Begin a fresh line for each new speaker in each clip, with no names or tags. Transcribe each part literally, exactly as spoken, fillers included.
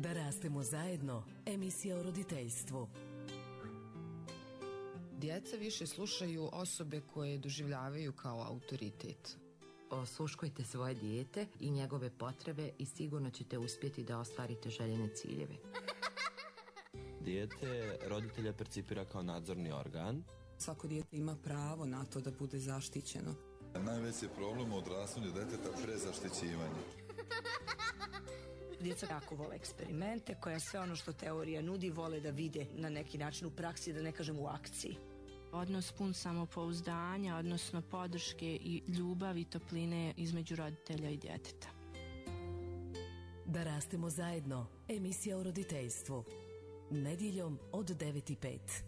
Da rastemo zajedno, emisija o roditeljstvu.
Djeca više slušaju osobe koje doživljavaju kao autoritet.
Osluškujte svoje dijete i njegove potrebe i sigurno ćete uspjeti da ostvarite željene ciljeve.
Dijete roditelja percipira kao nadzorni organ.
Svako dijete ima pravo na to da bude zaštićeno.
Najveći problem u odrastanju deteta prezaštićivanje.
Djeca jako vole eksperimente, koja sve ono što teorija nudi vole da vide na neki način u praksi, da ne kažem u akciji.
Odnos pun samopouzdanja, odnosno podrške i ljubavi i topline između roditelja i djeteta.
Da rastemo zajedno, emisija o roditeljstvu. Nedjeljom od devet i pet.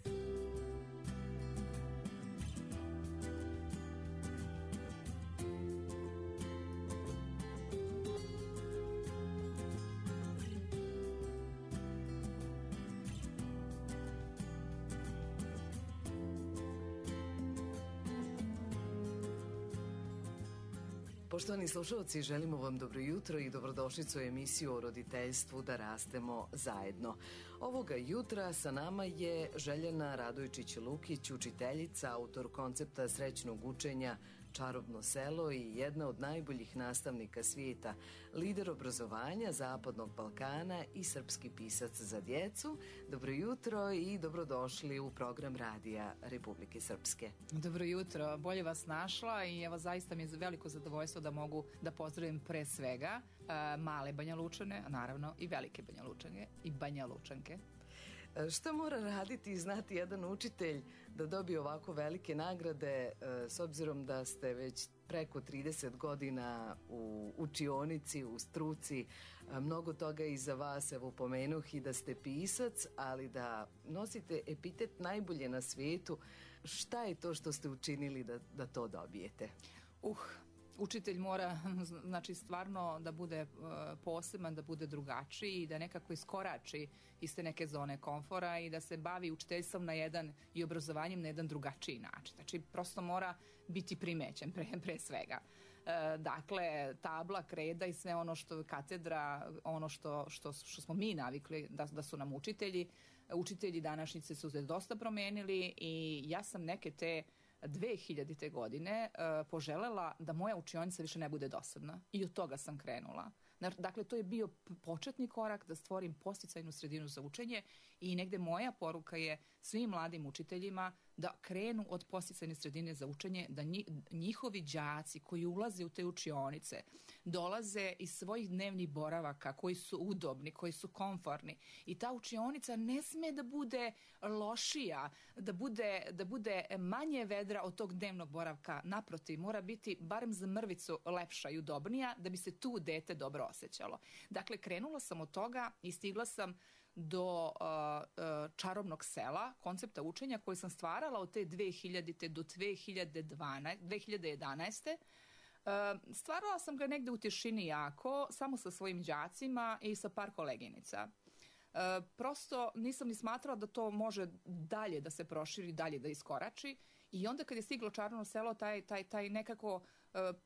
Poštovani slušalci, želimo vam dobro jutro i dobrodošlicu u emisiju o roditeljstvu Da rastemo zajedno. Ovoga jutra sa nama je Željana Radojčić-Lukić, učiteljica, autor koncepta srećnog učenja Čarobno selo i jedna od najboljih nastavnika svijeta, lider obrazovanja Zapadnog Balkana i srpski pisac za djecu. Dobro jutro i dobrodošli u program Radija Republike Srpske.
Dobro jutro, bolje vas našla i evo zaista mi je veliko zadovoljstvo da mogu da pozdravim pre svega uh, male Banja Lučane, a naravno i velike Banja Lučanke i Banja Lučanke.
Šta mora raditi i znati jedan učitelj da dobije ovako velike nagrade, s obzirom da ste već preko trideset godina u učionici, u struci, mnogo toga iza vas, evo pomenuh i da ste pisac, ali da nosite epitet najbolje na svijetu. Šta je to što ste učinili da, da to dobijete?
Uh, Učitelj mora, znači, stvarno da bude uh, poseban, da bude drugačiji i da nekako iskorači iz te neke zone komfora i da se bavi učiteljstvom na jedan i obrazovanjem na jedan drugačiji način. Znači, prosto mora biti primećen pre, pre svega. Uh, dakle, tabla, kreda i sve ono što katedra, ono što, što, što smo mi navikli da, da su nam učitelji. Učitelji današnjice su se dosta promenili i ja sam neke te dve hiljadite godine uh, poželela da moja učionica više ne bude dosadna i od toga sam krenula. Dakle, to je bio početni korak da stvorim podsticajnu sredinu za učenje i negde moja poruka je svim mladim učiteljima da krenu od podsticajne sredine za učenje, da njihovi đaci koji ulaze u te učionice dolaze iz svojih dnevnih boravaka koji su udobni, koji su komforni i ta učionica ne sme da bude lošija, da bude, da bude manje vedra od tog dnevnog boravka. Naprotiv, mora biti barem za mrvicu lepša i udobnija da bi se tu dete dobro osjećalo. Dakle, krenula sam od toga i stigla sam do uh, uh, Čarobnog sela, koncepta učenja koji sam stvarala od te dve hiljadite do dve hiljade jedanaeste. Uh, stvarala sam ga negde u tišini jako, samo sa svojim đacima i sa par koleginica. Uh, prosto nisam ni smatrala da to može dalje da se proširi, dalje da iskorači i onda kad je stiglo Čarobno selo, taj, taj, taj nekako uh,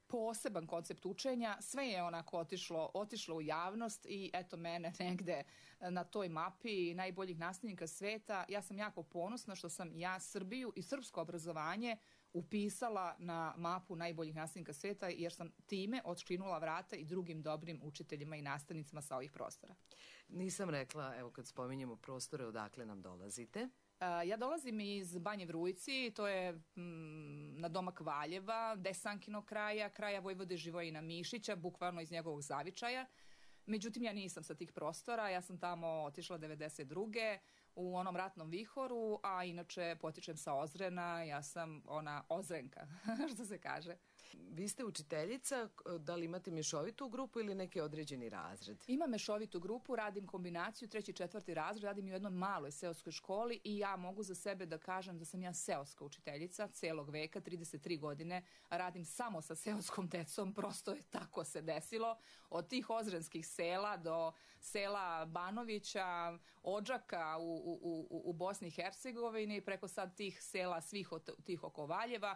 poseban koncept učenja, sve je onako otišlo, otišlo u javnost i eto mene negde na toj mapi najboljih nastavnika sveta. Ja sam jako ponosna što sam ja Srbiju i srpsko obrazovanje upisala na mapu najboljih nastavnika sveta jer sam time otškrinula vrata i drugim dobrim učiteljima i nastavnicima sa ovih prostora.
Nisam rekla, evo kad spominjemo prostore, odakle nam dolazite?
Uh, ja dolazim iz Banje Vrujci, to je mm, na domak Valjeva, Desankinog kraja, kraja Vojvode Živojina Mišića, bukvalno iz njegovog zavičaja. Međutim, ja nisam sa tih prostora, ja sam tamo otišla devedeset druge u onom ratnom vihoru, a inače potičem sa Ozrena, ja sam ona Ozrenka, što se kaže.
Vi ste učiteljica, da li imate mešovitu grupu ili neki određeni razred?
Imam mešovitu grupu, radim kombinaciju, treći, četvrti razred, radim u jednoj maloj seoskoj školi i ja mogu za sebe da kažem da sam ja seoska učiteljica celog veka, trideset tri godine, radim samo sa seoskom decom, prosto je tako se desilo, od tih ozrenskih sela do sela Banovića, Odžaka u, u, u, u Bosni i Hercegovini, preko sad tih sela svih od, tih oko Valjeva.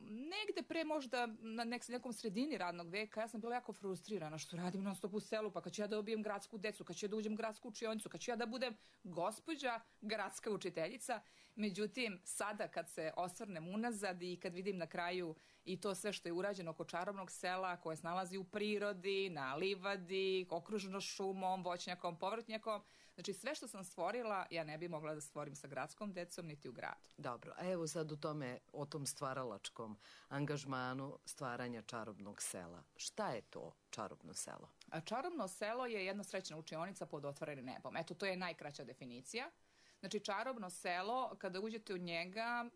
negde pre možda na nek, nekom sredini radnog veka ja sam bila jako frustrirana što radim non stop u selu, pa kad ću ja da dobijem gradsku decu, kad ću ja da uđem u gradsku učionicu, kad ću ja da budem gospođa gradska učiteljica. Međutim, sada kad se osvrnem unazad i kad vidim na kraju i to sve što je urađeno oko čarobnog sela koje se nalazi u prirodi, na livadi, okruženo šumom, voćnjakom, povrtnjakom, znači sve što sam stvorila ja ne bi mogla da stvorim sa gradskom decom niti u gradu.
Dobro, a evo sad u tome, o tom stvaralačkom angažmanu stvaranja čarobnog sela. Šta je to čarobno selo?
A čarobno selo je jedna srećna učionica pod otvorenim nebom. Eto, to je najkraća definicija. Znači, čarobno selo, kada uđete u njega,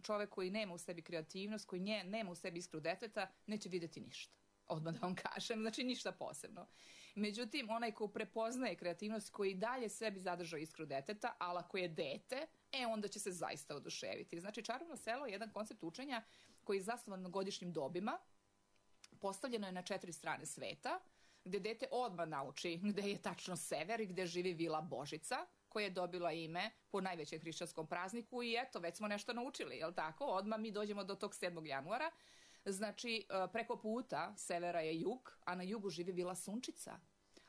čovek koji nema u sebi kreativnost, koji nje, nema u sebi iskru deteta, neće videti ništa. Odmah da vam kažem, znači ništa posebno. Međutim, onaj ko prepoznaje kreativnost, koji dalje sebi zadržao iskru deteta, ali ako je dete, e, onda će se zaista oduševiti. Znači, čarobno selo je jedan koncept učenja koji je zasnovan na godišnjim dobima, postavljeno je na četiri strane sveta, gde dete odmah nauči gde je tačno sever i gde živi vila Božica, koja je dobila ime po najvećem hrišćanskom prazniku i eto, već smo nešto naučili, jel tako? Odmah mi dođemo do tog sedmog januara. Znači, preko puta severa je jug, a na jugu živi vila Sunčica.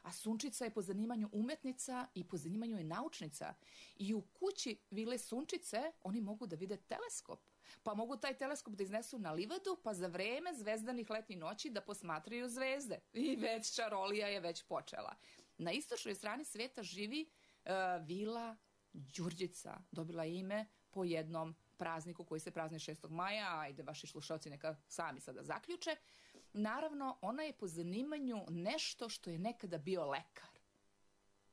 A Sunčica je po zanimanju umetnica i po zanimanju je naučnica. I u kući vile Sunčice oni mogu da vide teleskop. Pa mogu taj teleskop da iznesu na livadu, pa za vreme zvezdanih letnjih noći da posmatraju zvezde. I već čarolija je već počela. Na istočnoj strani sveta živi uh, vila Đurđica. Dobila ime po jednom prazniku koji se prazni šestog maja, ajde vaši slušalci neka sami sada zaključe. Naravno, ona je po zanimanju nešto što je nekada bio lekar.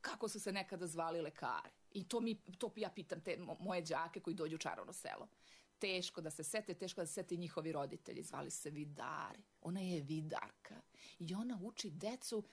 Kako su se nekada zvali lekari? I to, mi, to ja pitam te moje đake koji dođu u čarobno selo. Teško da se sete, teško da se sete njihovi roditelji. Zvali se vidari. Ona je vidarka. I ona uči decu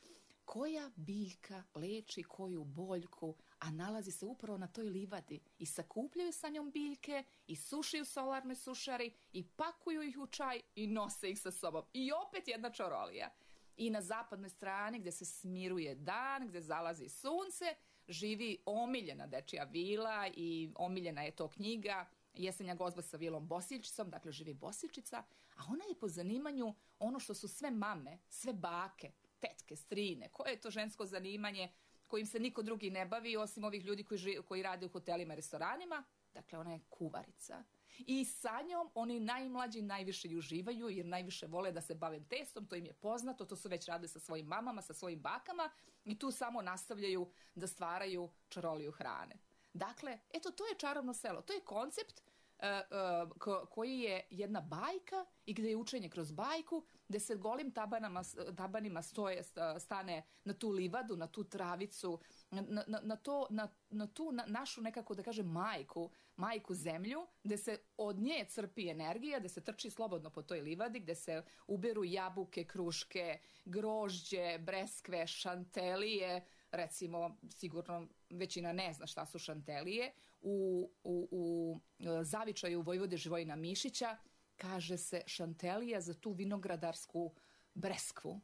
koja biljka leči koju boljku, a nalazi se upravo na toj livadi. I sakupljaju sa njom biljke, i sušiju solarnoj sušari, i pakuju ih u čaj, i nose ih sa sobom. I opet jedna čarolija. I na zapadnoj strani, gde se smiruje dan, gde zalazi sunce, živi omiljena dečija vila i omiljena je to knjiga Jesenja gozba sa vilom Bosiljčicom, dakle živi Bosiljčica, a ona je po zanimanju ono što su sve mame, sve bake, tetke, strine, koje je to žensko zanimanje kojim se niko drugi ne bavi osim ovih ljudi koji, živ, koji rade u hotelima i restoranima. Dakle, ona je kuvarica. I sa njom oni najmlađi najviše i uživaju jer najviše vole da se bave testom, to im je poznato, to su već radili sa svojim mamama, sa svojim bakama i tu samo nastavljaju da stvaraju čaroliju hrane. Dakle, eto, to je čarobno selo. To je koncept uh, uh, ko, koji je jedna bajka i gde je učenje kroz bajku, gde se golim tabanama, tabanima stoje, stane na tu livadu, na tu travicu, na, na, na, to, na, na tu na, našu nekako da kažem majku, majku zemlju, gde se od nje crpi energija, gde se trči slobodno po toj livadi, gde se uberu jabuke, kruške, grožđe, breskve, šantelije, recimo, sigurno većina ne zna šta su šantelije, u, u, u zavičaju Vojvode Živojina Mišića kaže se šantelija za tu vinogradarsku breskvu.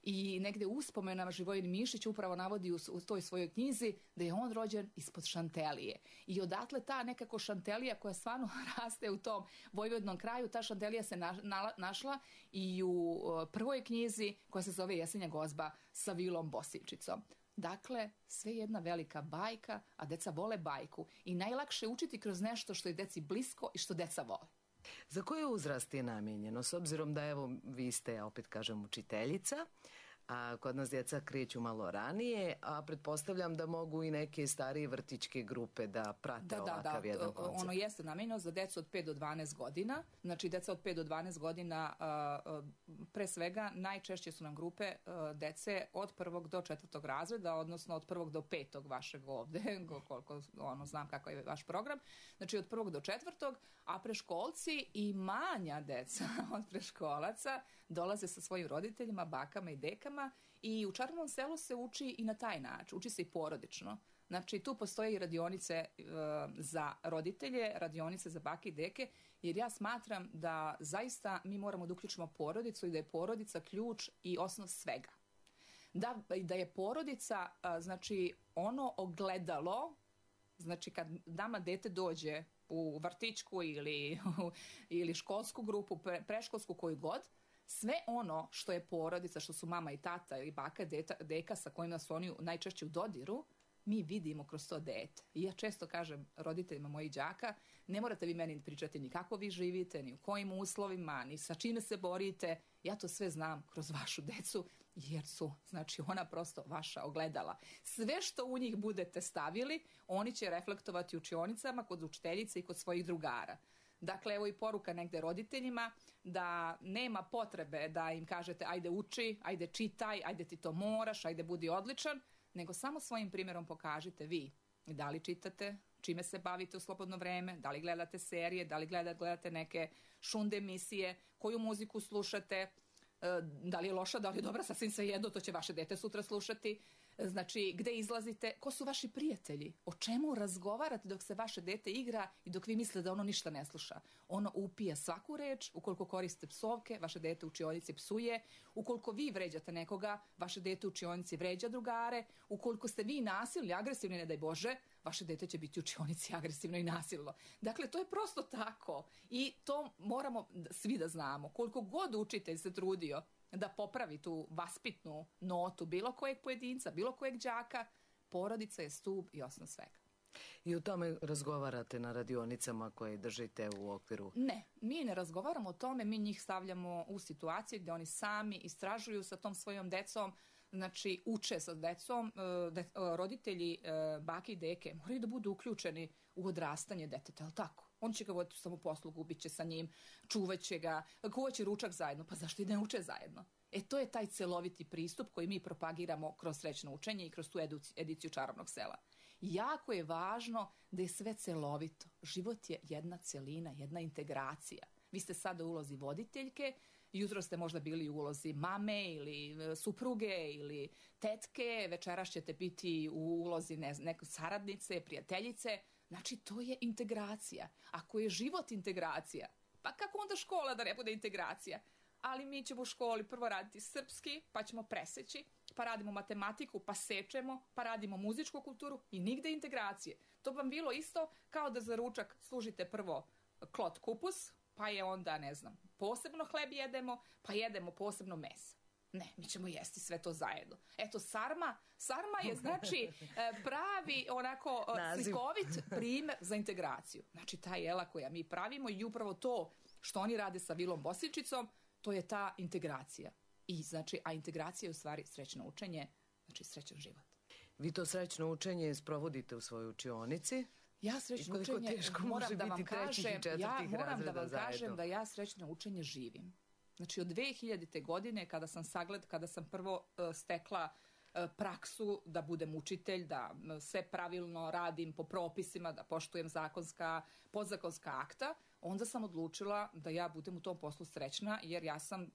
I negde uspomenama Živojin Mišić upravo navodi u, u toj svojoj knjizi da je on rođen ispod šantelije. I odatle ta nekako šantelija koja stvarno raste u tom vojvodnom kraju, ta šantelija se na, na, našla i u uh, prvoj knjizi koja se zove Jesenja gozba sa vilom Bosiljčicom. Dakle, sve jedna velika bajka, a deca vole bajku. I najlakše je učiti kroz nešto što je deci blisko i što deca vole.
Za koje uzrast je namijenjeno? S obzirom da, evo, vi ste, ja opet kažem, učiteljica, a kod nas djeca kreću malo ranije, a pretpostavljam da mogu i neke starije vrtićke grupe da prate da, ovakav da, da, jedan koncept.
Ono jeste namijenjeno za decu od pet do dvanaest godina. Znači, deca od pet do dvanaest godina, pre svega, najčešće su nam grupe dece od prvog do četvrtog razreda, odnosno od prvog do petog vašeg ovde, koliko ono, znam kakav je vaš program. Znači, od prvog do četvrtog, a preškolci i manja deca od preškolaca dolaze sa svojim roditeljima, bakama i dekama i u čarobnom selu se uči i na taj način, uči se i porodično. Znači, tu postoje i radionice e, za roditelje, radionice za bake i deke, jer ja smatram da zaista mi moramo da uključimo porodicu i da je porodica ključ i osnov svega. Da, da je porodica, a, znači, ono ogledalo, znači kad nama dete dođe u vrtićku ili, ili školsku grupu, pre, preškolsku, koju god, sve ono što je porodica, što su mama i tata ili baka, deta, deka sa kojima su oni najčešće u dodiru, mi vidimo kroz to dete. I ja često kažem roditeljima mojih đaka, ne morate vi meni pričati ni kako vi živite, ni u kojim uslovima, ni sa čime se borite. Ja to sve znam kroz vašu decu, jer su, znači, ona prosto vaša ogledala. Sve što u njih budete stavili, oni će reflektovati u učionicama, kod učiteljice i kod svojih drugara. Dakle, evo i poruka negde roditeljima da nema potrebe da im kažete ajde uči, ajde čitaj, ajde ti to moraš, ajde budi odličan, nego samo svojim primjerom pokažite vi da li čitate, čime se bavite u slobodno vreme, da li gledate serije, da li gledate, gledate neke šunde emisije, koju muziku slušate, da li je loša, da li je dobra, sasvim svejedno, to će vaše dete sutra slušati. Znači, gde izlazite, ko su vaši prijatelji, o čemu razgovarate dok se vaše dete igra i dok vi mislite da ono ništa ne sluša. Ono upija svaku reč, ukoliko koriste psovke, vaše dete u učionici psuje, ukoliko vi vređate nekoga, vaše dete u učionici vređa drugare, ukoliko ste vi nasilni, agresivni, ne daj Bože, vaše dete će biti u učionici agresivno i nasilno. Dakle, to je prosto tako i to moramo svi da znamo. Koliko god učitelj se trudio da popravi tu vaspitnu notu bilo kojeg pojedinca, bilo kojeg đaka, porodica je stub i osnov svega.
I o tome razgovarate na radionicama koje držite u okviru?
Ne, mi ne razgovaramo o tome, mi njih stavljamo u situacije gde oni sami istražuju sa tom svojom decom, znači uče sa decom, de, roditelji bake i deke moraju da budu uključeni u odrastanje deteta, ali tako? On će ga voditi u samoposlugu, bit će sa njim, čuvaće ga, kuvaće ručak zajedno, pa zašto i ne uče zajedno? E to je taj celoviti pristup koji mi propagiramo kroz srećno učenje i kroz tu ediciju Čarobnog sela. Jako je važno da je sve celovito. Život je jedna celina, jedna integracija. Vi ste sada u ulozi voditeljke, jutro ste možda bili u ulozi mame ili supruge ili tetke, večeras ćete biti u ulozi ne, neke saradnice, prijateljice. Znači, to je integracija. Ako je život integracija, pa kako onda škola da ne bude integracija? Ali mi ćemo u školi prvo raditi srpski, pa ćemo preseći, pa radimo matematiku, pa sečemo, pa radimo muzičku kulturu i nigde integracije. To vam bilo isto kao da za ručak služite prvo klot kupus, pa je onda, ne znam, posebno hleb jedemo, pa jedemo posebno meso. Ne, mi ćemo jesti sve to zajedno. Eto, sarma, sarma je znači pravi onako slikovit primer za integraciju. Znači, ta jela koja mi pravimo i upravo to što oni rade sa Vilom Bosiljčicom, to je ta integracija. I znači, a integracija je u stvari srećno učenje, znači srećan život.
Vi to srećno učenje sprovodite u svojoj učionici?
Ja srećno učenje moram da vam kažem, ja moram da vam kažem da ja srećno učenje živim. Znači, od dve hiljadite. godine, kada sam sagled, kada sam prvo uh, stekla uh, praksu da budem učitelj, da uh, sve pravilno radim po propisima, da poštujem zakonska, podzakonska akta, onda sam odlučila da ja budem u tom poslu srećna, jer ja sam uh,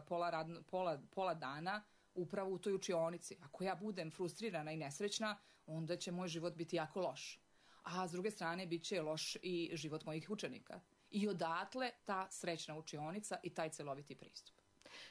pola, radno, pola, pola dana upravo u toj učionici. Ako ja budem frustrirana i nesrećna, onda će moj život biti jako loš. A s druge strane, bit će loš i život mojih učenika. I odatle ta srećna učionica i taj celoviti pristup.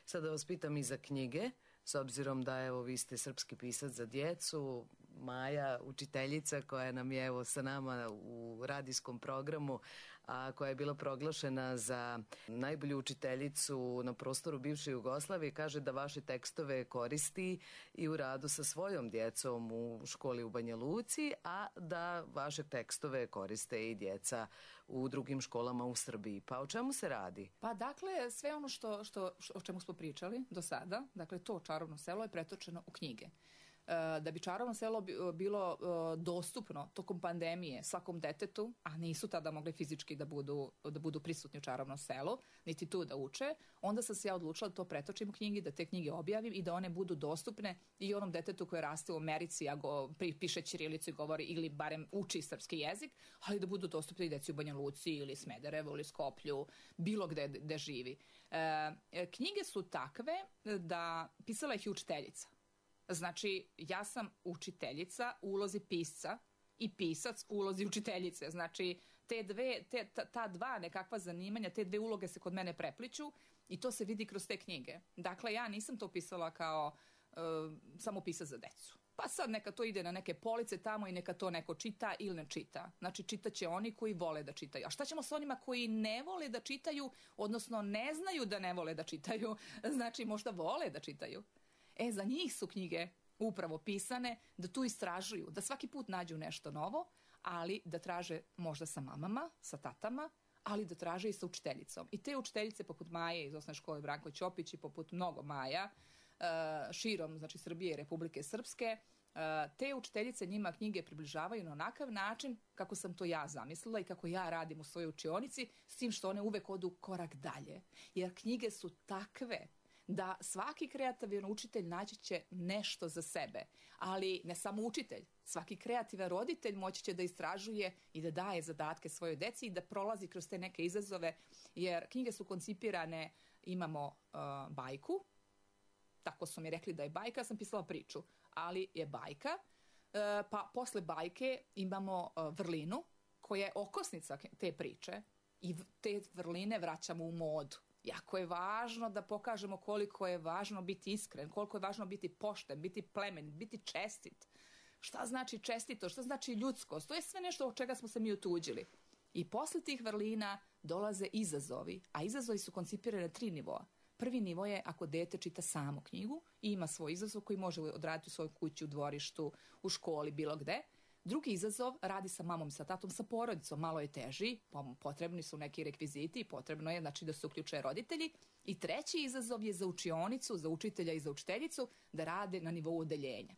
Sada vas pitam i za knjige, s obzirom da evo vi ste srpski pisac za djecu, Maja, učiteljica koja nam je evo sa nama u radijskom programu, a koja je bila proglašena za najbolju učiteljicu na prostoru bivše Jugoslavije, kaže da vaše tekstove koristi i u radu sa svojom djecom u školi u Banja Luci, a da vaše tekstove koriste i djeca u drugim školama u Srbiji. Pa o čemu se radi?
Pa dakle, sve ono što, što, o čemu smo pričali do sada, dakle to Čarobno selo je pretočeno u knjige. Da bi Čarobno selo bilo dostupno tokom pandemije svakom detetu, a nisu tada mogli fizički da budu, da budu prisutni u Čarobnom selu, niti tu da uče, onda sam se ja odlučila da to pretočim u knjigi, da te knjige objavim i da one budu dostupne i onom detetu koje raste u Americi, a go, piše ćirilicu i govori ili barem uči srpski jezik, ali da budu dostupne i deci u Banja Luci ili Smederevu ili Skoplju, bilo gde, gde živi. E, knjige su takve da pisala ih i učiteljica. Znači, ja sam učiteljica u ulozi pisca i pisac u ulozi učiteljice. Znači, te dve, te, ta, ta dva nekakva zanimanja, te dve uloge se kod mene prepliču i to se vidi kroz te knjige. Dakle, ja nisam to pisala kao uh, samo pisac za decu. pa sad neka to ide na neke police tamo i neka to neko čita ili ne čita. Znači čitaće oni koji vole da čitaju. A šta ćemo s onima koji ne vole da čitaju, odnosno ne znaju da ne vole da čitaju, znači možda vole da čitaju. E, za njih su knjige upravo pisane da tu istražuju, da svaki put nađu nešto novo, ali da traže možda sa mamama, sa tatama, ali da traže i sa učiteljicom. I te učiteljice poput Maje iz osnovne škole Branko Ćopić i poput mnogo Maja, širom, znači Srbije i Republike Srpske, te učiteljice njima knjige približavaju na onakav način kako sam to ja zamislila i kako ja radim u svojoj učionici, s tim što one uvek odu korak dalje. Jer knjige su takve da svaki kreativan učitelj naći će nešto za sebe, ali ne samo učitelj, svaki kreativan roditelj moći će da istražuje i da daje zadatke svojoj deci i da prolazi kroz te neke izazove, jer knjige su koncipirane, imamo uh, bajku, tako su mi rekli da je bajka, ja sam pisala priču, ali je bajka, uh, pa posle bajke imamo uh, vrlinu koja je okosnica te priče i te vrline vraćamo u modu. Jako je važno da pokažemo koliko je važno biti iskren, koliko je važno biti pošten, biti plemenit, biti čestit. Šta znači čestito, šta znači ljudskost, to je sve nešto od čega smo se mi otuđili. I posle tih vrlina dolaze izazovi, a izazovi su koncipirani na tri nivoa. Prvi nivo je ako dete čita samo knjigu i ima svoj izazov koji može odraditi u svojoj kući, u dvorištu, u školi, bilo gde. Drugi izazov radi sa mamom, sa tatom, sa porodicom, malo je teži, potrebni su neki rekviziti i potrebno je znači da se uključuje roditelji. I treći izazov je za učionicu, za učitelja i za učiteljicu da rade na nivou odeljenja.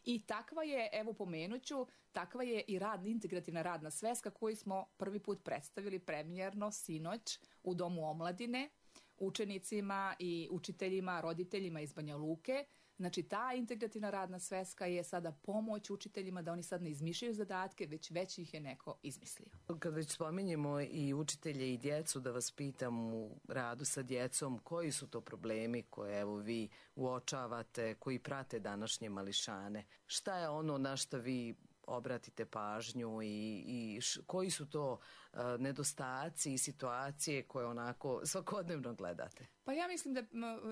I takva je, evo pomenuću, takva je i rad, integrativna radna sveska koju smo prvi put predstavili premijerno sinoć u Domu omladine, učenicima i učiteljima, roditeljima iz Banja Luke. Znači ta integrativna radna sveska je sada pomoć učiteljima da oni sad ne izmišljaju zadatke, već već ih je neko izmislio.
Kad već spominjemo i učitelje i djecu, da vas pitam u radu sa djecom, koji su to problemi koje evo vi uočavate, koji prate današnje mališane? Šta je ono na što vi obratite pažnju i, i š, koji su to uh, nedostaci i situacije koje onako svakodnevno gledate?
Pa ja mislim da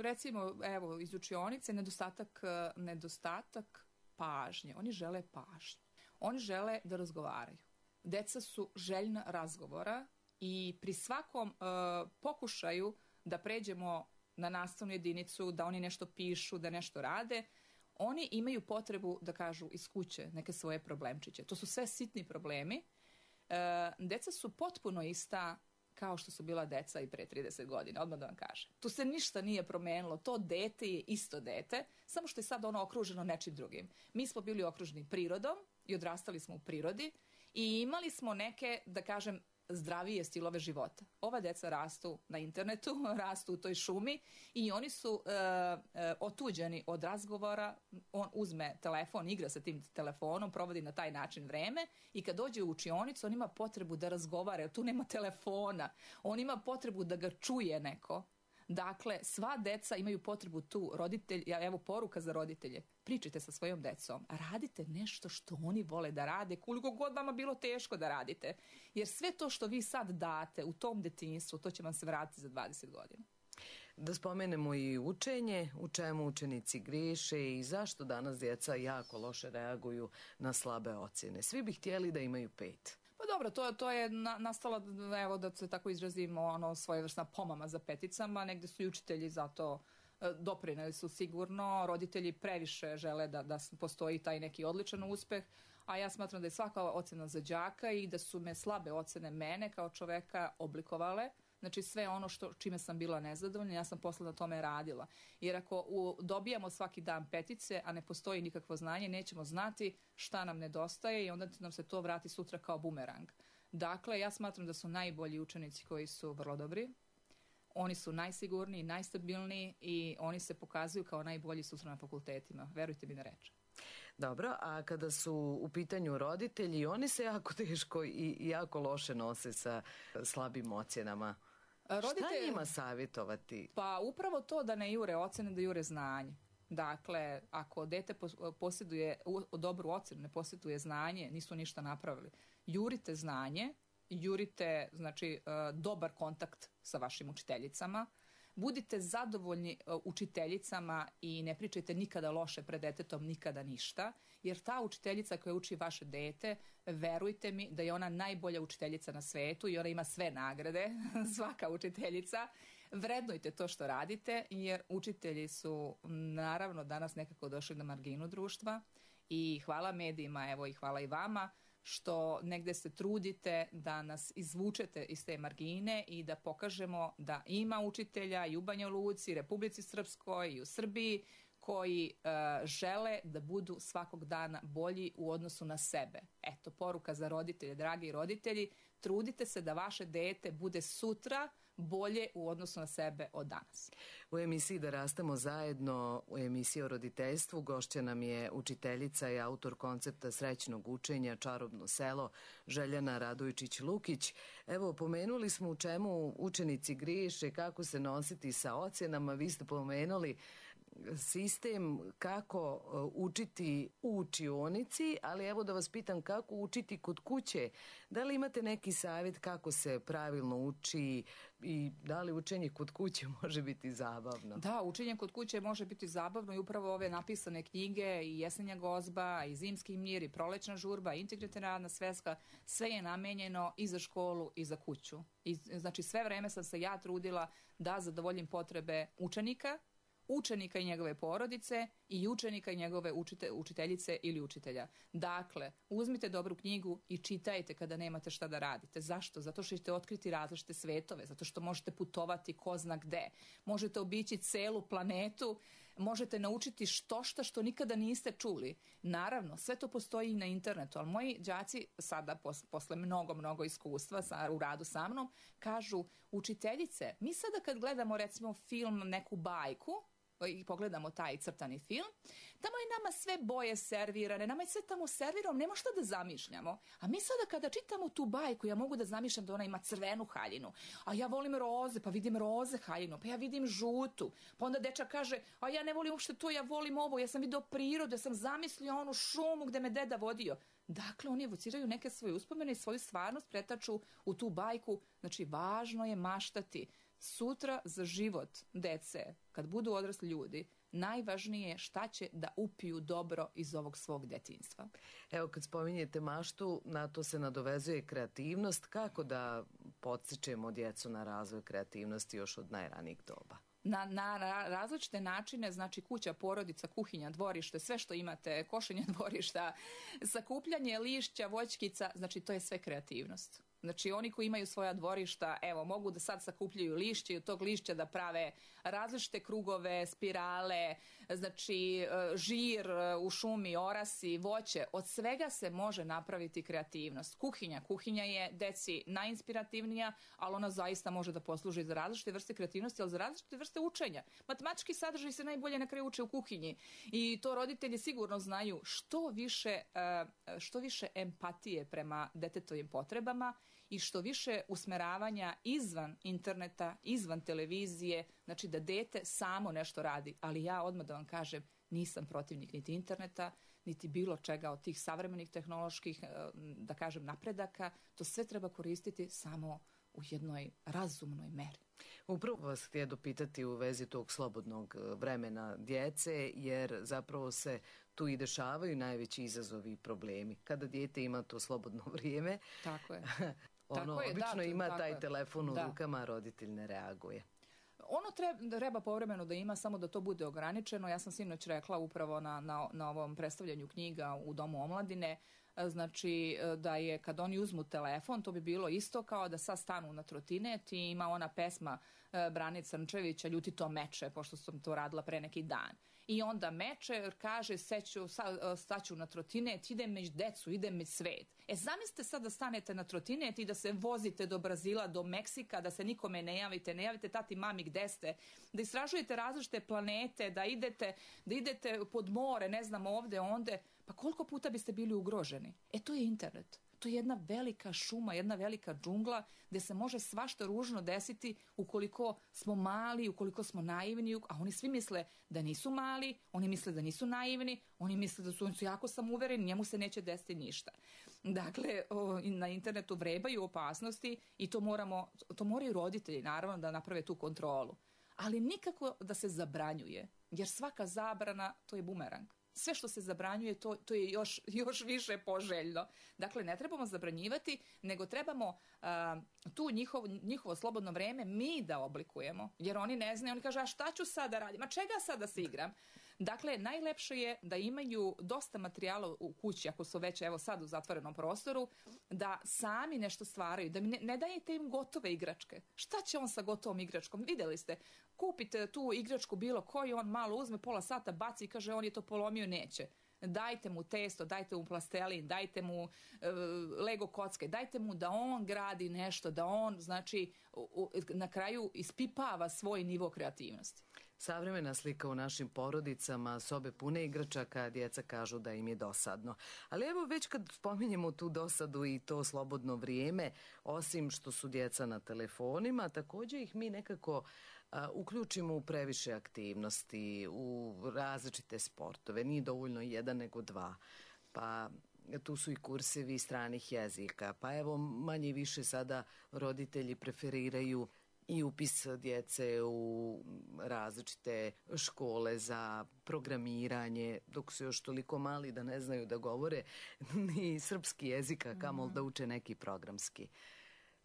recimo evo iz učionice nedostatak, nedostatak pažnje. Oni žele pažnju. Oni žele da razgovaraju. Deca su željna razgovora i pri svakom uh, pokušaju da pređemo na nastavnu jedinicu, da oni nešto pišu, da nešto rade, oni imaju potrebu da kažu iz kuće neke svoje problemčiće. To su sve sitni problemi. E, deca su potpuno ista kao što su bila deca i pre trideset godina, odmah da vam kažem. Tu se ništa nije promenilo. To dete je isto dete, samo što je sad ono okruženo nečim drugim. Mi smo bili okruženi prirodom i odrastali smo u prirodi i imali smo neke, da kažem, zdravije stilove života. Ova deca rastu na internetu, rastu u toj šumi i oni su e, e, otuđeni od razgovora. On uzme telefon, igra sa tim telefonom, provodi na taj način vreme i kad dođe u učionicu on ima potrebu da razgovara, tu nema telefona, on ima potrebu da ga čuje neko. Dakle, sva deca imaju potrebu tu, roditelj, evo poruka za roditelje, pričajte sa svojom decom, radite nešto što oni vole da rade, koliko god vama bilo teško da radite, jer sve to što vi sad date u tom detinjstvu, to će vam se vratiti za dvadeset godina.
Da spomenemo i učenje, u čemu učenici griješe i zašto danas djeca jako loše reaguju na slabe ocjene. Svi bi htjeli da imaju pet.
Pa dobro, to, to je na, nastala, evo da se tako izrazimo, ono, svojevrsna pomama za peticama, negde su i učitelji zato e, doprineli su sigurno, roditelji previše žele da, da postoji taj neki odličan uspeh, a ja smatram da je svaka ocjena za đaka i da su me slabe ocjene mene kao čoveka oblikovale. Znači sve ono što, čime sam bila nezadovoljna, ja sam posle na tome radila. Jer ako u, dobijamo svaki dan petice, a ne postoji nikakvo znanje, nećemo znati šta nam nedostaje i onda nam se to vrati sutra kao bumerang. Dakle, ja smatram da su najbolji učenici koji su vrlo dobri. Oni su najsigurniji, najstabilniji i oni se pokazuju kao najbolji sutra na fakultetima. Verujte mi na reč.
Dobro, a kada su u pitanju roditelji, oni se jako teško i jako loše nose sa slabim ocjenama. Roditelj... Šta njima savjetovati?
Pa upravo to da ne jure ocene, da jure znanje. Dakle, ako dete posjeduje dobru ocenu, ne posjeduje znanje, nisu ništa napravili. Jurite znanje, jurite znači dobar kontakt sa vašim učiteljicama, Budite zadovoljni učiteljicama i ne pričajte nikada loše pred detetom, nikada ništa, jer ta učiteljica koja uči vaše dete, verujte mi da je ona najbolja učiteljica na svetu i ona ima sve nagrade, svaka učiteljica. Vrednujte to što radite, jer učitelji su naravno danas nekako došli na marginu društva i hvala medijima, evo i hvala i vama, što negde se trudite da nas izvučete iz te margine i da pokažemo da ima učitelja i u Banja Luci, Republici Srpskoj i u Srbiji koji uh, žele da budu svakog dana bolji u odnosu na sebe. Eto, poruka za roditelje, dragi roditelji, trudite se da vaše dete bude sutra bolje u odnosu na sebe od danas.
U emisiji Da rastemo zajedno, u emisiji o roditeljstvu, gošća nam je učiteljica i autor koncepta srećnog učenja Čarobno selo, Željana Radojčić-Lukić. Evo, pomenuli smo u čemu učenici griješe, kako se nositi sa ocjenama, vi ste pomenuli sistem kako učiti u učionici, ali evo da vas pitam kako učiti kod kuće. Da li imate neki savjet kako se pravilno uči i da li učenje kod kuće može biti zabavno?
Da, učenje kod kuće može biti zabavno i upravo ove napisane knjige i Jesenja gozba, i Zimski mir, i Prolećna žurba, Integritetna radna sveska, sve je namenjeno i za školu i za kuću. I, znači sve vreme sam se ja trudila da zadovoljim potrebe učenika, učenika i njegove porodice i učenika i njegove učite, učiteljice ili učitelja. Dakle, uzmite dobru knjigu i čitajte kada nemate šta da radite. Zašto? Zato što ćete otkriti različite svetove, zato što možete putovati ko zna gde. Možete obići celu planetu, možete naučiti što šta što nikada niste čuli. Naravno, sve to postoji i na internetu, ali moji đaci sada, pos, posle mnogo, mnogo iskustva sa, u radu sa mnom, kažu, učiteljice, mi sada kad gledamo recimo film, neku bajku, i pogledamo taj crtani film, tamo je nama sve boje servirane, nama je sve tamo servirano, nema šta da zamišljamo. A mi sada kada čitamo tu bajku, ja mogu da zamišljam da ona ima crvenu haljinu, a ja volim roze, pa vidim roze haljinu, pa ja vidim žutu, pa onda dečak kaže, a ja ne volim uopšte to, ja volim ovo, ja sam vidio prirodu, ja sam zamislio onu šumu gde me deda vodio. Dakle, oni evociraju neke svoje uspomene i svoju stvarnost pretaču u tu bajku. Znači, važno je maštati. Sutra za život dece, kad budu odrasli ljudi, najvažnije je šta će da upiju dobro iz ovog svog detinjstva.
Evo, kad spominjete maštu, na to se nadovezuje kreativnost. Kako da podstičemo djecu na razvoj kreativnosti još od najranijih doba?
Na, na različite načine, znači kuća, porodica, kuhinja, dvorište, sve što imate, košenje dvorišta, sakupljanje lišća, voćkica, znači to je sve kreativnost. Znači oni koji imaju svoja dvorišta, evo, mogu da sad sakupljaju lišće i od tog lišća da prave različite krugove, spirale, znači žir u šumi, orasi, voće. Od svega se može napraviti kreativnost. Kuhinja. Kuhinja je deci najinspirativnija, ali ona zaista može da posluži za različite vrste kreativnosti, ali za različite vrste učenja. Matematički sadržaj se najbolje na kraju uče u kuhinji i to roditelji sigurno znaju. Što više, što više empatije prema detetovim potrebama i što više usmeravanja izvan interneta, izvan televizije, znači da dete samo nešto radi. Ali ja odmah da vam kažem, nisam protivnik niti interneta, niti bilo čega od tih savremenih tehnoloških, da kažem, napredaka. To sve treba koristiti samo u jednoj razumnoj meri.
Upravo vas htio dopitati u vezi tog slobodnog vremena djece, jer zapravo se tu i dešavaju najveći izazovi i problemi. Kada dijete ima to slobodno vrijeme,
tako je.
ono
tako je,
obično
da,
ima
tako
taj
je.
telefon u
da.
rukama, a roditelj ne reaguje.
Ono treba, treba povremeno da ima, samo da to bude ograničeno. Ja sam sinoć rekla upravo na, na, na ovom predstavljanju knjiga u Domu omladine, znači da je kad oni uzmu telefon, to bi bilo isto kao da sad stanu na trotinet i ima ona pesma Brane Crnčevića, Ljuti to meče, pošto sam to radila pre neki dan. I onda meče, kaže, seću, staću na trotinet, idem među decu, idem među svet. E, zamislite sad da stanete na trotinet i da se vozite do Brazila, do Meksika, da se nikome ne javite, ne javite tati, mami, gde ste, da istražujete različite planete, da idete, da idete pod more, ne znam, ovde, onde, pa koliko puta biste bili ugroženi? E, to je internet. To je jedna velika šuma, jedna velika džungla gde se može svašta ružno desiti ukoliko smo mali, ukoliko smo naivni, a oni svi misle da nisu mali, oni misle da nisu naivni, oni misle da su, oni su jako samouvereni, njemu se neće desiti ništa. Dakle, o, na internetu vrebaju opasnosti i to moramo, to moraju roditelji naravno da naprave tu kontrolu. ali nikako da se zabranjuje, jer svaka zabrana to je bumerang. Sve što se zabranjuje, to, to je još, još više poželjno. Dakle, ne trebamo zabranjivati, nego trebamo a, tu njihov, njihovo slobodno vreme mi da oblikujemo. Jer oni ne znaju, oni kažu, a šta ću sad da radim? A čega sad da se igram? Dakle, najlepše je da imaju dosta materijala u kući, ako su već evo sad u zatvorenom prostoru, da sami nešto stvaraju, da ne, ne dajete im gotove igračke. Šta će on sa gotovom igračkom? Vidjeli ste, kupite tu igračku bilo koju, on malo uzme, pola sata baci i kaže on je to polomio, neće. Dajte mu testo, dajte mu plastelin, dajte mu e, Lego kocke, dajte mu da on gradi nešto, da on, znači, u, u, na kraju ispipava svoj nivo kreativnosti.
Savremena slika u našim porodicama, sobe pune igračaka, djeca kažu da im je dosadno. Ali evo već kad spominjemo tu dosadu i to slobodno vrijeme, osim što su djeca na telefonima, također ih mi nekako a, uključimo u previše aktivnosti, u različite sportove. Nije dovoljno jedan nego dva. Pa tu su i kursevi stranih jezika. Pa evo manje i više sada roditelji preferiraju i upis djece u različite škole za programiranje, dok su još toliko mali da ne znaju da govore ni srpski jezik, a kamol da uče neki programski.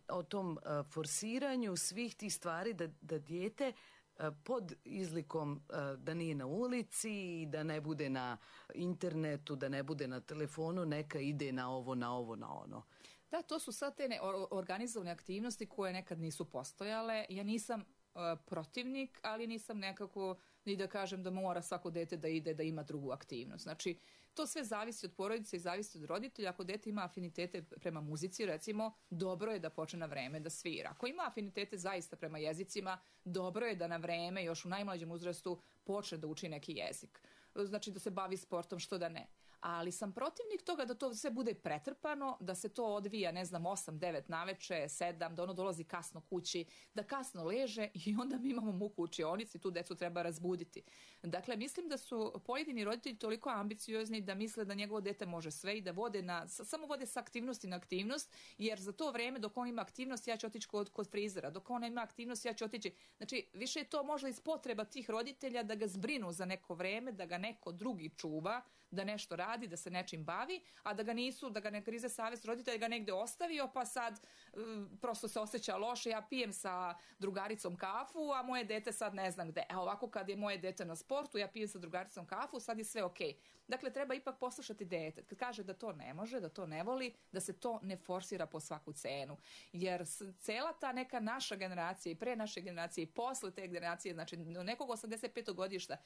O tom uh, forsiranju svih tih stvari da, da dijete uh, pod izlikom uh, da nije na ulici, da ne bude na internetu, da ne bude na telefonu, neka ide na ovo, na ovo, na ono.
Da, to su sad te organizovane aktivnosti koje nekad nisu postojale. Ja nisam uh, protivnik, ali nisam nekako ni da kažem da mora svako dete da ide da ima drugu aktivnost. Znači, to sve zavisi od porodice i zavisi od roditelja. Ako dete ima afinitete prema muzici, recimo, dobro je da počne na vreme da svira. Ako ima afinitete zaista prema jezicima, dobro je da na vreme, još u najmlađem uzrastu, počne da uči neki jezik. Znači, da se bavi sportom, što da ne. Ali sam protivnik toga da to sve bude pretrpano, da se to odvija, ne znam, osam, devet naveče, sedam, da ono dolazi kasno kući, da kasno leže i onda mi imamo muku u učionici, tu decu treba razbuditi. Dakle, mislim da su pojedini roditelji toliko ambiciozni da misle da njegovo dete može sve i da vode na, samo vode sa aktivnosti na aktivnost, jer za to vreme dok on ima aktivnost ja ću otići kod, kod frizera, dok on ima aktivnost ja ću otići. Znači, više je to možda iz potreba tih roditelja da ga zbrinu za neko vreme, da ga neko drugi čuva, da nešto radi, da se nečim bavi, a da ga nisu, da ga ne grize savjest roditelja, ga negde ostavio, pa sad um, prosto se osjeća loše, ja pijem sa drugaricom kafu, a moje dete sad ne znam gde. E ovako kad je moje dete na sportu, ja pijem sa drugaricom kafu, sad je sve okej. Dakle, treba ipak poslušati dete. Kad kaže da to ne može, da to ne voli, da se to ne forsira po svaku cenu. Jer cela ta neka naša generacija i pre naše generacije i posle te generacije, znači do nekog osamdeset petog godišta,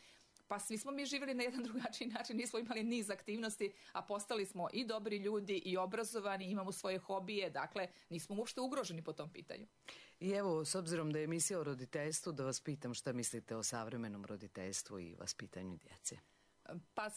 pa svi smo mi živjeli na jedan drugačiji način, nismo imali niz aktivnosti, a postali smo i dobri ljudi i obrazovani, imamo svoje hobije, dakle nismo uopšte ugroženi po tom pitanju.
I evo, s obzirom da je emisija o roditeljstvu, da vas pitam šta mislite o savremenom roditeljstvu i vaspitanju djece.
Pa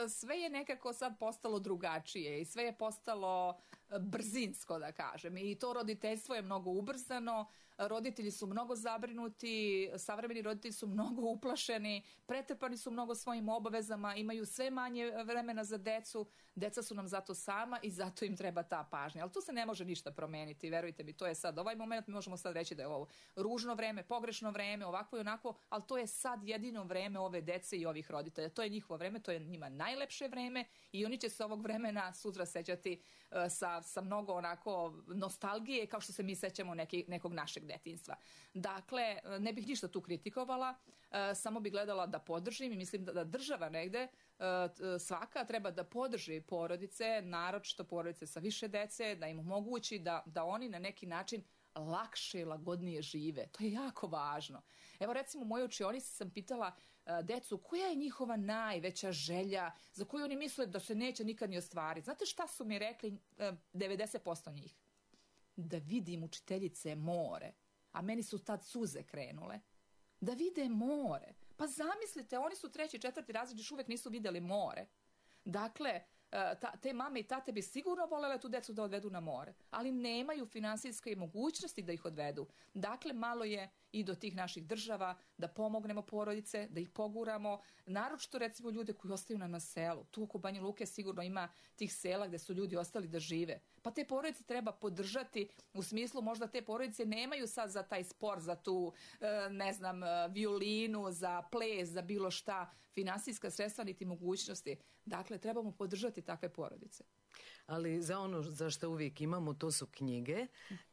sve je nekako sad postalo drugačije i sve je postalo brzinsko, da kažem. I to roditeljstvo je mnogo ubrzano, roditelji su mnogo zabrinuti, savremeni roditelji su mnogo uplašeni, pretrpani su mnogo svojim obavezama, imaju sve manje vremena za decu, deca su nam zato sama i zato im treba ta pažnja. Ali tu se ne može ništa promeniti, verujte mi, to je sad ovaj moment, mi možemo sad reći da je ovo ružno vreme, pogrešno vreme, ovako i onako, ali to je sad jedino vreme ove dece i ovih roditelja. To je njihovo vreme, to je njima najlepše vreme i oni će se ovog vremena sutra sećati uh, sa, sa mnogo onako nostalgije, kao što se mi sećamo neki, nekog našeg detinjstva. Dakle, ne bih ništa tu kritikovala, uh, samo bih gledala da podržim i mislim da, da država negde uh, svaka treba da podrži porodice, naročito porodice sa više dece, da im omogući da, da oni na neki način lakše i lagodnije žive. To je jako važno. Evo recimo u mojoj učionici sam pitala uh, decu koja je njihova najveća želja za koju oni misle da se neće nikad ni ostvariti. Znate šta su mi rekli uh, devedeset posto njih? Da vidim učiteljice more. A meni su tad suze krenule. Da vide more. Pa zamislite, oni su treći, četvrti razred, još uvijek nisu vidjeli more. Dakle, ta, te mame i tate bi sigurno volele tu decu da odvedu na more, ali nemaju finansijske mogućnosti da ih odvedu. Dakle, malo je i do tih naših država, da pomognemo porodice, da ih poguramo, naročito recimo ljude koji ostaju nam na selu. Tu oko Banja Luke sigurno ima tih sela gde su ljudi ostali da žive. Pa te porodice treba podržati u smislu možda te porodice nemaju sad za taj sport, za tu, ne znam, violinu, za ples, za bilo šta, finansijska sredstva niti mogućnosti. Dakle, trebamo podržati takve porodice.
Ali za ono za što uvijek imamo, to su knjige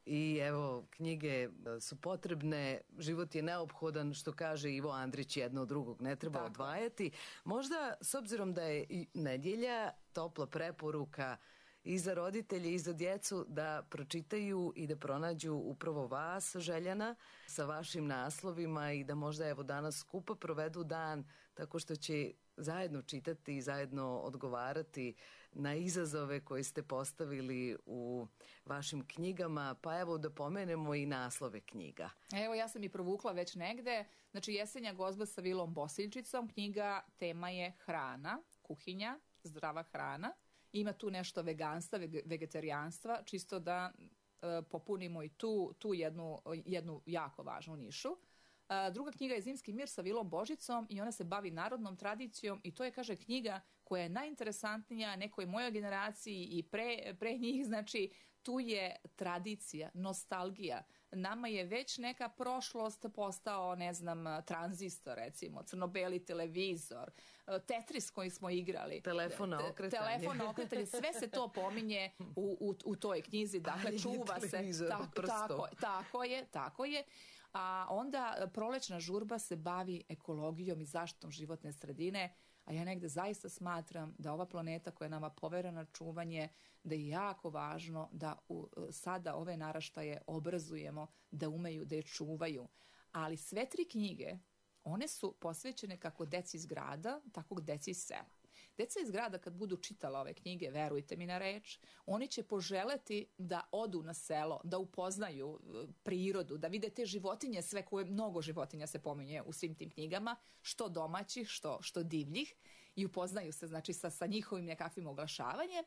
i evo, knjige su potrebne, život je neophodan, što kaže Ivo Andrić, jedno od drugog ne treba Tako. odvajati. Možda, s obzirom da je i nedjelja, topla preporuka i za roditelje i za djecu da pročitaju i da pronađu upravo vas, Željana, sa vašim naslovima i da možda evo danas skupa provedu dan tako što će zajedno čitati i zajedno odgovarati na izazove koje ste postavili u vašim knjigama, pa evo da pomenemo i naslove knjiga.
Evo, ja sam i provukla već negde, znači Jesenja gozba sa Vilom Bosiljčicom, knjiga tema je hrana, kuhinja, zdrava hrana. Ima tu nešto veganstva, vegetarijanstva, čisto da e, popunimo i tu, tu jednu, jednu jako važnu nišu. E, druga knjiga je Zimski mir sa Vilom Božicom i ona se bavi narodnom tradicijom i to je, kaže, knjiga koja je najinteresantnija nekoj mojoj generaciji i pre, pre njih, znači tu je tradicija, nostalgija. Nama je već neka prošlost postao, ne znam, tranzistor recimo, crno-beli televizor, Tetris koji smo igrali.
Telefon na okretanje.
Telefon na okretanje, sve se to pominje u, u, u toj knjizi, dakle čuva se. Tako, tako, tako je, tako je. A onda prolećna žurba se bavi ekologijom i zaštitom životne sredine, a ja negde zaista smatram da ova planeta koja je nama poverena čuvanje, da je jako važno da u, sada ove naraštaje obrazujemo, da umeju da je čuvaju. Ali sve tri knjige, one su posvećene kako deci iz grada, tako deci iz sela. Deca iz grada kad budu čitala ove knjige, verujte mi na reč, oni će poželeti da odu na selo, da upoznaju prirodu, da vide te životinje, sve koje, mnogo životinja se pominje u svim tim knjigama, što domaćih, što, što divljih, i upoznaju se, znači, sa, sa njihovim nekakvim oglašavanjem.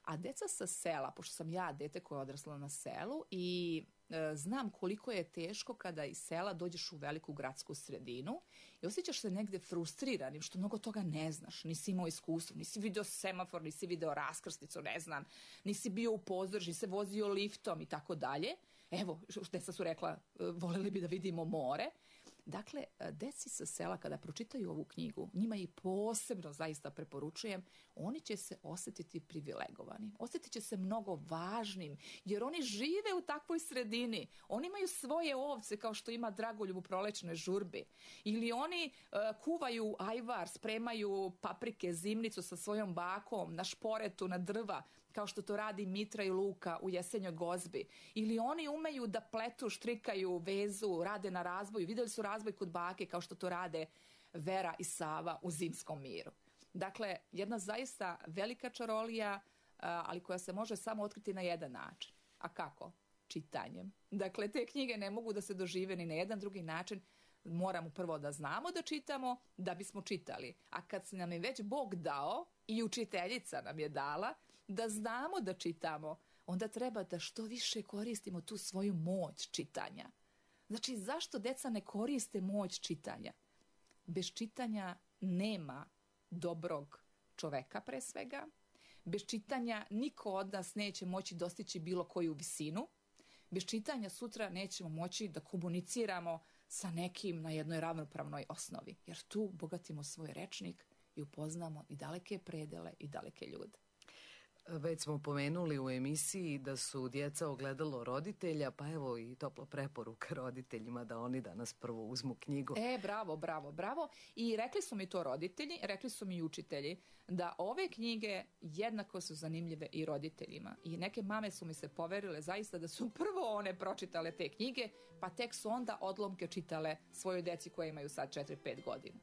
A deca sa sela, pošto sam ja dete koje je odrasla na selu i e, znam koliko je teško kada iz sela dođeš u veliku gradsku sredinu i osjećaš se negde frustriranim što mnogo toga ne znaš, nisi imao iskustvo, nisi video semafor, nisi video raskrsnicu, ne znam, nisi bio u pozdraži, nisi se vozio liftom i tako dalje. Evo, deca su rekla, voleli bi da vidimo more. Dakle, deci sa sela kada pročitaju ovu knjigu, njima i posebno zaista preporučujem, oni će se osjetiti privilegovani, osjetit će se mnogo važnim, jer oni žive u takvoj sredini, oni imaju svoje ovce kao što ima Dragoljub u prolećnoj žurbi, ili oni uh, kuvaju ajvar, spremaju paprike, zimnicu sa svojom bakom na šporetu, na drva, kao što to radi Mitra i Luka u Jesenjoj gozbi. Ili oni umeju da pletu, štrikaju, vezu, rade na razboju. Vidjeli su razboj kod bake kao što to rade Vera i Sava u Zimskom miru. Dakle, jedna zaista velika čarolija, ali koja se može samo otkriti na jedan način. A kako? Čitanjem. Dakle, te knjige ne mogu da se dožive ni na jedan drugi način. Moramo prvo da znamo da čitamo, da bismo čitali. A kad se nam je već Bog dao i učiteljica nam je dala, da znamo da čitamo, onda treba da što više koristimo tu svoju moć čitanja. Znači, zašto deca ne koriste moć čitanja? Bez čitanja nema dobrog čoveka pre svega. Bez čitanja niko od nas neće moći dostići bilo koju visinu. Bez čitanja sutra nećemo moći da komuniciramo sa nekim na jednoj ravnopravnoj osnovi. Jer tu bogatimo svoj rečnik i upoznamo i daleke predele i daleke ljude.
Već smo pomenuli u emisiji da su djeca ogledalo roditelja, pa evo i topla preporuka roditeljima da oni danas prvo uzmu knjigu.
E, bravo, bravo, bravo. I rekli su mi to roditelji, rekli su mi i učitelji, da ove knjige jednako su zanimljive i roditeljima. I neke mame su mi se poverile zaista da su prvo one pročitale te knjige, pa tek su onda odlomke čitale svojoj deci koje imaju sad četiri pet godina.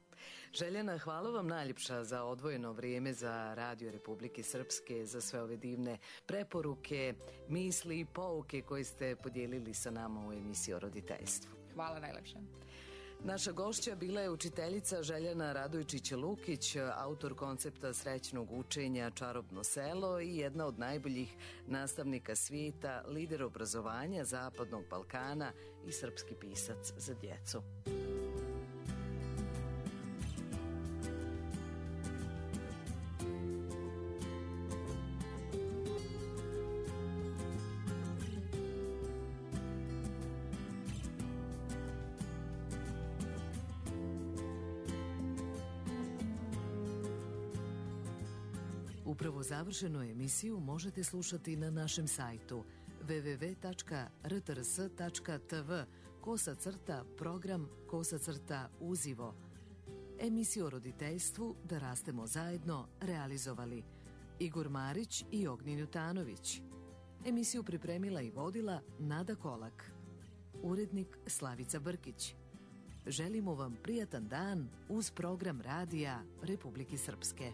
Željana, hvala vam najljepša za odvojeno vrijeme za Radio Republike Srpske, za sve ove divne preporuke, misli i pouke koje ste podijelili sa nama u emisiji o roditeljstvu.
Hvala najljepša.
Naša gošća bila je učiteljica Željana Radojčić-Lukić, autor koncepta srećnog učenja Čarobno selo i jedna od najboljih nastavnika svijeta, lider obrazovanja Zapadnog Balkana i srpski pisac za djecu. Upravo završenu emisiju možete slušati na našem sajtu w w w tačka r t r s tačka t v kosa crta program kosa crta uzivo. Emisiju o roditeljstvu Da rastemo zajedno realizovali Igor Marić i Ognjen Jutanović. Emisiju pripremila i vodila Nada Kolak. Urednik Slavica Brkić. Želimo vam prijatan dan uz program radija Republike Srpske.